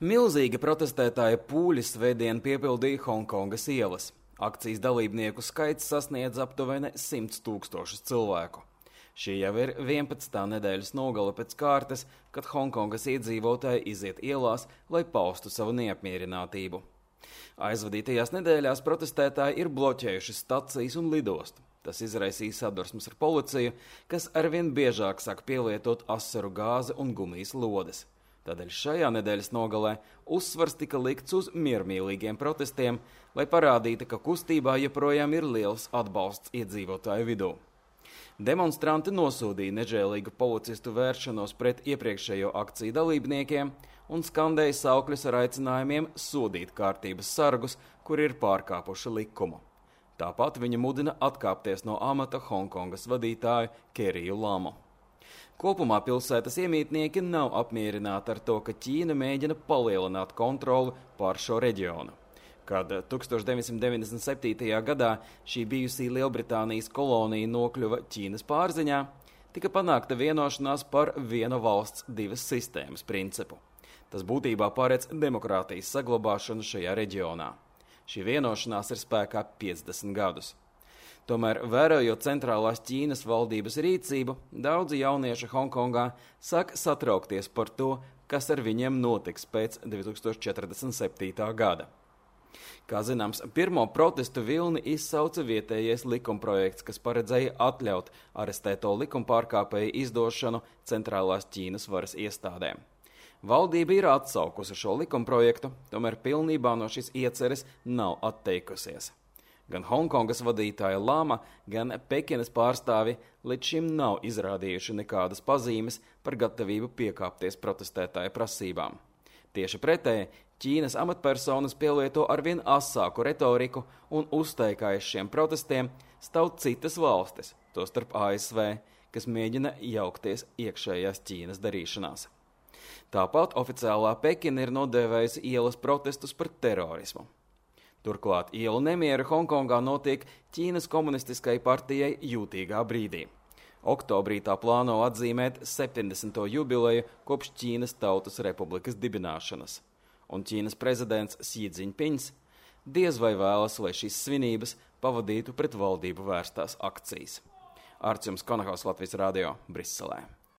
Milzīgi protestētāja pūļi svētdien piepildīja Honkongas ielas. Akcijas dalībnieku skaits sasniedz aptuveni 100 000 cilvēku. Šī jau ir 11. nedēļas nogale pēc kārtas, kad Honkongas iedzīvotāji iziet ielās, lai paustu savu neapmierinātību. Aizvadītajās nedēļās protestētāji ir bloķējuši stacijas un lidostu. Tas izraisīja sadursmes ar policiju, kas arvien biežāk sāk pielietot asaru gāzi un gumijas lodes. Tādēļ šajā nedēļas nogalē uzsvars tika likts uz miermīlīgiem protestiem, lai parādītu, ka kustībā joprojām ir liels atbalsts iedzīvotāju vidū. Demonstranti nosodīja nežēlīgu policistu vēršanos pret iepriekšējo akciju dalībniekiem un skandēja saukļus ar aicinājumiem sodīt kārtības sargus, kuri ir pārkāpuši likumu. Tāpat viņa mudina atkāpties no amata Honkongas vadītāju Keriju Lamu. Kopumā pilsētas iemītnieki nav apmierināti ar to, ka Ķīna mēģina palielināt kontroli pār šo reģionu. Kad 1997. gadā šī bijusī Lielbritānijas kolonija nokļuva Ķīnas pārziņā, tika panākta vienošanās par viena valsts divas sistēmas principu. Tas būtībā paredz demokrātijas saglabāšanu šajā reģionā. Šī vienošanās ir spēkā 50 gadus. Tomēr, vērojot centrālās Ķīnas valdības rīcību, daudzi jaunieši Honkongā sāk satraukties par to, kas ar viņiem notiks pēc 2047. gada. Kā zināms, pirmo protestu vilni izsauca vietējais likumprojekts, kas paredzēja atļaut arestēto likumpārkāpēju izdošanu centrālās Ķīnas varas iestādēm. Valdība ir atsaukusi šo likumprojektu, tomēr pilnībā no šīs ieceres nav atteikusies. Gan Honkongas vadītāja Lama, gan Pekinas pārstāvi līdz šim nav izrādījuši nekādas pazīmes par gatavību piekāpties protestētāju prasībām. Tieši pretēji, Ķīnas amatpersonas pielieto arvien asāku retoriku un uzteikā aiz šiem protestiem stāv citas valstis, tostarp ASV, kas mēģina jaukties iekšējās Ķīnas darīšanās. Tāpat oficiālā Pekina ir nodēvējusi ielas protestus par terorismu. Turklāt ielu nemieri Honkongā notiek Ķīnas komunistiskai partijai jūtīgā brīdī. Oktobrī tā plāno atzīmēt 70. jubileju kopš Ķīnas Tautas Republikas dibināšanas. Un Ķīnas prezidents Xi Jinpings diez vai vēlas, lai šīs svinības pavadītu pret valdību vērstās akcijas. Arts jums Konahaus, Latvijas radio, Briselē.